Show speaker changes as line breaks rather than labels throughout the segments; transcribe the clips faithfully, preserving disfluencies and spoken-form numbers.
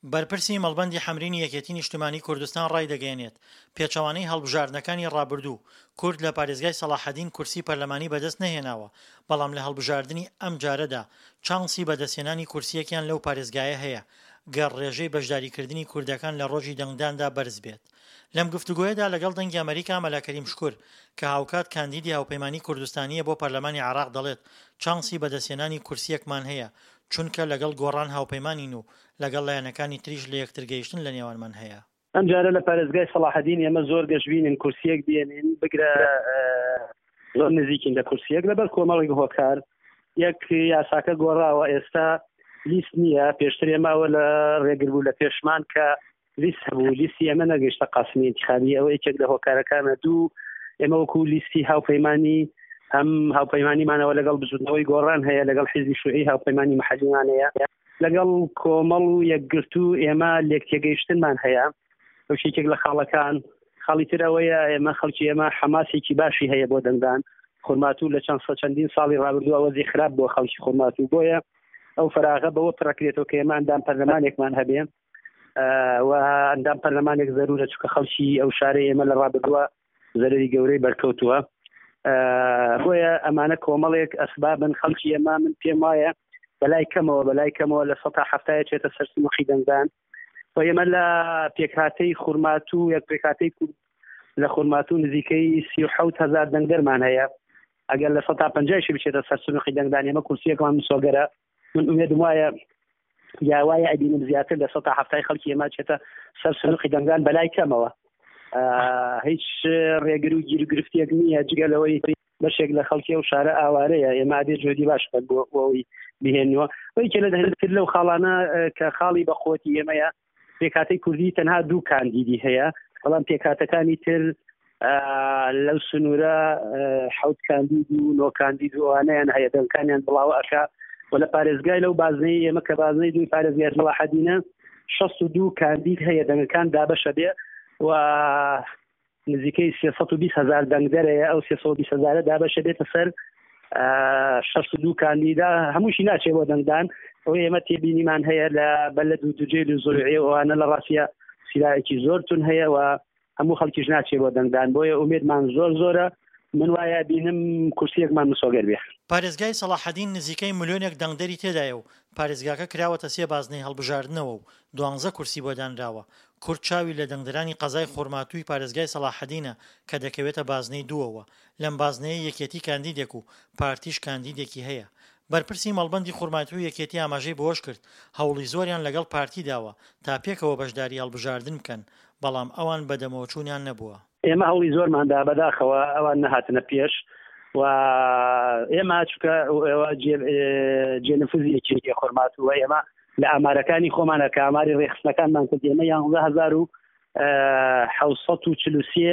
بەرپرسی مەڵبەندی حەمرینی یەکێتی نیشتمانی کوردستان ڕایدەگەیەنێت، پێچەوانەی هەڵبژاردنەکانی ڕابردوو، کورد لە پارێزگای سەڵاحەدین کورسی پەرلەمانی بەدەست نەهێناوە، بەڵام لە هەڵبژاردنی ئەمجارەدا چانسی بەدەستهێنانی کورسییەکیان لەو پارێزگایە هەیە، گەر ڕێژەی بەشداریکردنی کوردەکان لە ڕۆژی دەنگداندا بەرز بێت. لەم گفتوگۆیەدا لەگەڵ دەنگی ئەمەریکا مەلا کەریم شکور کە هاوکات کاندیدی هاوپەیمانی کوردستانییە بۆ پەرلەمانی عێراق دەڵێت چانسی بەدەستهێنانی کورسییەکمان هەیە چونکە لەگەڵ گۆڕان هاوپەیمانین و لەگەڵ لایەنەکانی تریش لە یەکترگەیشتن لە نێوانمان هەیە.
ئەمجارە لە پارێزگای سەڵاحەدین ئێمە زۆر گەشبینین کورسیەک بێنین، بگرە زۆر نزیکین لە کورسیەک لەبەر کۆمەڵێک هۆکار. یەک، یاساکە گۆڕاوە، ئێستا لیست نییە. پێشتر ئێمە ئەوە لە ڕێگر بوو لە پێشمان کە لیست هەبوو، لیستی ئێمە نەگەیشتە قاسمی انتخابی، ئەوە یەکێک لە هۆکارەکانە. دوو، ئێمە وەکو لیستی هاوپەیمانی هەم هاوپەیمانیمانەوە لەگەڵ بزوتنەوەی گۆڕان هەیە، لەگەڵ حیزبی شوعی هاوپەیمانی محەلیمان هەیە، لەگەڵ کۆمەڵ و یەکگرتوو ئێمە لێکتێگەیشتنمان هەیە. ئەو یەکێک لە خاڵەکان. خاڵی تر ئەوەیە ئێمە خەڵکی ئێمە حەماسێکی باشی هەیە بۆ دەنگدان. خورماتوو لە چەند چەندین ساڵی ڕابردوو وەزی خراپ بۆ خەڵکی خورماتوو، بۆیە ئەو فراغە بەوە پڕکرێتەوە کە ئێمە ئەندام پەرلەمانێکمان هەبێ و ئەندام پەرلەمانێک زەرورە، چونکە خەڵکی ئەو شارەی ئێمە لە ڕابردووە زەرەری گەورەی بەرکەوتووە. بۆیە ئەمانە کۆمەڵێک ئەسبابن. خەڵکی ئێمە من پێم وایە بەلای کەمەوە بەلای کەمەوە لە سەدا حەفتایە چێتە سەر سنووقی دەنگدان. و ئێمە لە پێکهاتەی خورماتوو یەک پێکهاتەی لە خورماتوو نزیکەی سی و حەوت هەزار دەنگدەرمان هەیە. ئەگەر لە سەدا پەنجایشی بچێتە سەر سنووقی دەنگدان ئێمە کورسیەکمان مسۆگەرە. من ئومێدم وایە یا وایە ئەبینم زیاتر لە سەدا حەفتای خەڵکی ئێمە چێتە سەر سنووقی دەنگدان بەلای کەمەوە. هیچ ڕێگر و گیروگرفتێک نییە، جگە لەوەی بەشێک لە خەڵکی ئەو شارە ئاوارەیە. ئێمە ئەبێ جۆدی باش بکەن بۆ ئەوەی بهێننەوە. یەکێ لە تر لەو خاڵانە کە خاڵی بەقوەتی ئێمەیە، پێکهاتەی کوردی تەنها دوو کاندیدی هەیە، بەڵام پێکهاتەکانی تر لەو سنوورە حەوت کاندید و نۆ کاندید و ئەوانەیان هەیە، دەنگەکانیان بڵاوە ئەکا. و لە پارێزگای لەو بازنەی ئێمە کە بازنەی دووی پارێزگای سەڵاحەدینە شەست و دوو کاندید هەیە، دەنگەکان دابەشە بێ و نزیکەی سێ سەد و بیست هەزار دەنگدەرەیە. ئەو سێ سەد و بیست هەزارە دابەشە بێتە سەر شەست و دوو کاندیدا، هەمووشی ناچێ بۆ دەنگدان. ئەو ئێمە تێبینیمان هەیە لە بەلەد و دوجێل و زۆرعێ ئەوانە لە ڕاستیە سیرایەکی زۆر تون هەیە و هەموو خەڵکیش ناچێ بۆ دەنگدان. بۆیە ئومێدمان زۆر زۆرە. من وایە بینم کورسیەکمان مسۆگەر بێ.
پارێزگای سەڵاحەدین نزیکەی ملیۆنێک دەنگدەری تێدایە و پارێزگاکە کراوەتە سێ بازنەی هەڵبژاردنەوە و دوانزە کورسی بۆ دانراوە. کورد چاوی لە دەنگدەرانی قەزای خورماتووی پارێزگای سەڵاحەدینە کە دەکەوێتە بازنەی دووەوە. لەم بازنەیە یەکێتی کاندیدێک و پارتیش کاندیدێکی هەیە. بەرپرسی مەڵبەندی خورماتوو یەکێتی ئاماژەی بەوەش کرد هەوڵی زۆریان لەگەڵ پارتی داوە تا پێکەوە بەشداری هەڵبژاردن بکەن، بەڵام ئەوان بەدەمەوەچوونیان نەبووە.
ئێمە هەوڵی زۆرماندا، بەداخەوە ئەوان نەهاتنە پێش و ئێمە چونکە جێنفوزی یەکێتی خورماتووە. ئێمە لە ئامارەکانی خۆمانە کە ئاماری ڕێخستنەکانمان کرد ئێمە یانزە هەزار و حەوت سەد و چل و سێ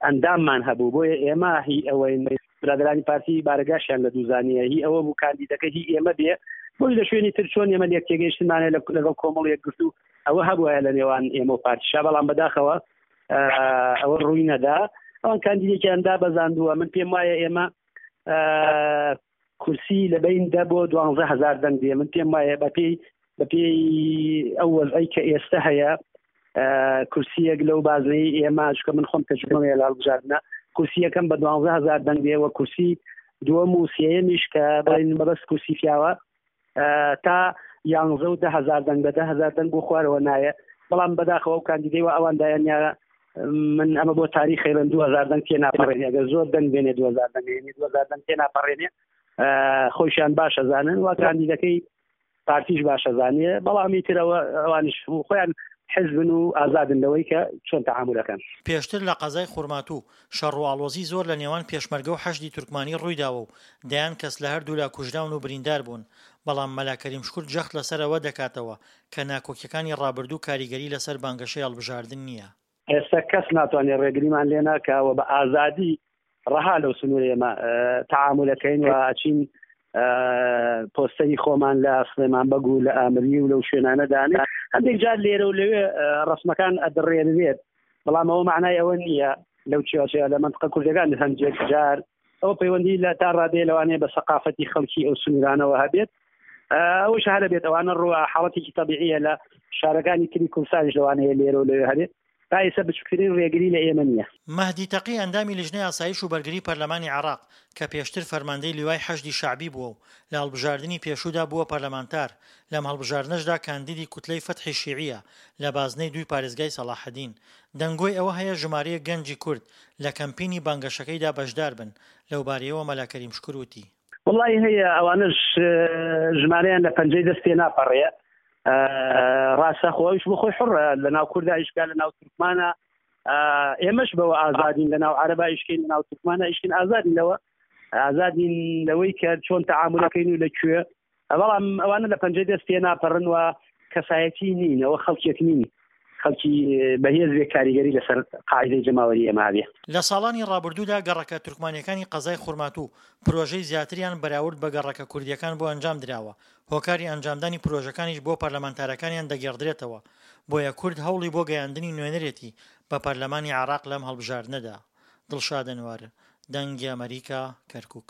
ئەنداممان هەبوو. بۆیە ئێمە هی ئەوەی برادرانی پارتی بارەگاشیان لە دووزانیە، هی ئەوە بوو کاندیدەکە هی ئێمە بێ. بۆی لە شوێنی تر چۆن ئێمە لێک تێگەیشتنمانە لەگەڵ کۆمەڵ یەکگرتوو ئەوە هەبووە لە نێوان ئێمە و پارتیشا، بەڵام بەداخەوە ئەوە ڕووی نەدا. ئەوان کاندیدێکیان دابەزاندووە. من پێم وایە ئێمە کورسی لە بین دە بۆ دوانزە هەزار دەنگ دێ. من پێم وایە بەپێی بەپێی ئەو وەزعەی کە ئێستا هەیە کورسیەک لەو بازنەی ئێمە، چونکە من خۆم تەجروبەم هەیە لە هەڵبژاردنە، کورسیەکەم بە دوانزە هەزار دەنگ دێ و کورسی دووەم و سێیەمیش کە بڵێن مەبەست کورسی پیاوە تا یانزە و دە هەزار دەنگ بە دە هەزار دەنگ بۆ خوارەوە نایە. بەڵام بەداخەوە ئەو کاندیدەی وە ئەوان دایانیا من ئەمە بۆ تاریخی بن دوو هەزار دەنگ تێ ناپەڕێنێ. ئەگەر زۆر دەنگ بێنێ دوو هەزار دەنگ بێنێ، دوو هەزار دەنگ تێ ناپەڕێنێ. خۆشیان باشە زانن و کاندیدەکەی پارتیش باشە زانێ، بەڵام ئیترەوە ئەوانیش خۆیان حزبن و ئازادن لەوەی کە چۆن تەعامولەکەن.
پێشتر لە قەزای خورماتوو شەڕ و ئاڵۆزی زۆر لە نێوان پێشمەرگە و حەشدی تورکمانی ڕوویداوە و دەیان کەس لە هەردوولا کوژراون و بریندار بوون، بەڵام مەلا کەریم شکور جەخت لەسەر ئەوە دەکاتەوە کە ناکۆکیەکانی ڕابردوو کاریگەری لەسەر بانگەشەی هەڵبژاردن نییە.
ئێستا کەس ناتوانێت ڕێگریمان لێ ناکاوە بە ئازادی ڕەها لەو سنوورە ئێمە تەعامولەکەین و ئەچین پۆستەری خۆمان لە سلێمان بەگ و لە ئامری و لەو شوێنانە دانێ. هەندێک جار لێرە و لەوێ ڕسمەکان ئەدڕێنرێت، بەڵام ئەوە معنای ئەوە نییە لەو چیاچەیە لە منطقە کوردەکان هەندێک جار ئەو پەیوەندی لە تا ڕادەیە لەوانەیە بە سەقافەتی خەڵکی ئەو سنوورانەوە هەبێت. ئەوەش هەر بێت ئەوانە ڕووە حاڵەتێکی تەبیعیە لە شارەکانی تری کوردستانیش لەوانەیە لێرە و لەوێ هەبێت. تا ئێستا بچووکترین ڕێگری لە ئێمە نییە.
مەهدی تەقی ئەندامی لیژنەی ئاسایش و بەرگری پەرلەمانی عێراق کە پێشتر فەرماندەی لیوای حەشدی شەعبی بووە و لە هەڵبژاردنی پێشوودا بووە پەرلەمانتار، لەم هەڵبژاردنەشدا کاندیدی کوتلەی فەتحی شیعییە لە بازنەی دووی پارێزگای سەڵاحەدین. دەنگۆی ئەوە هەیە ژمارەیەک گەنجی کورد لە کەمپینی بانگەشەکەیدا بەشداربن، لەوبارەیەوە مەلا کەریم شوکر وتی.
وەڵاهی هەیە ئەوانەش ژمارەیان لە پەنجەی دەست تێناپەڕێ. ڕاستە خۆ ئەویش بۆ خۆی حڕە لە ناو کووردا ئیشکا لە ناو تورکمانە، ئێمەش بەوە ئازادین لە ناو عەرەبا ئیشکین لە ناو تورکمانە ئیشکین، ئازادین لەوە، ئازادین لەوەی کە چۆن تەعامولەکەین و لە کوێ. بەڵام ئەوانە لە پەنجەی دەست تێناپەڕن و کەسایەتی نین، ئەوە خەڵکێک نین خەڵکی بەهێز بێ کاریگەری لەسەر قاعدەی جەماوەری ئێمە هەبێ.
لە ساڵانی ڕابردوودا گەڕەکە تورکمانیەکانی قەزای خورماتوو پرۆژەی زیاتریان بەراورد بە گەڕەکە کوردیەکان بۆ ئەنجام دراوە، هۆکاری ئەنجامدانی پرۆژەکانیش بۆ پەرلەمانتارەکانیان دەگێڕدرێتەوە، بۆیە کورد هەوڵی بۆ گەیاندنی نوێنەرێتی بە پەرلەمانی عێراق لەم هەڵبژاردنەدا. دڵشاد ئەنوەر، دەنگی ئەمەریکا، کەرکوک.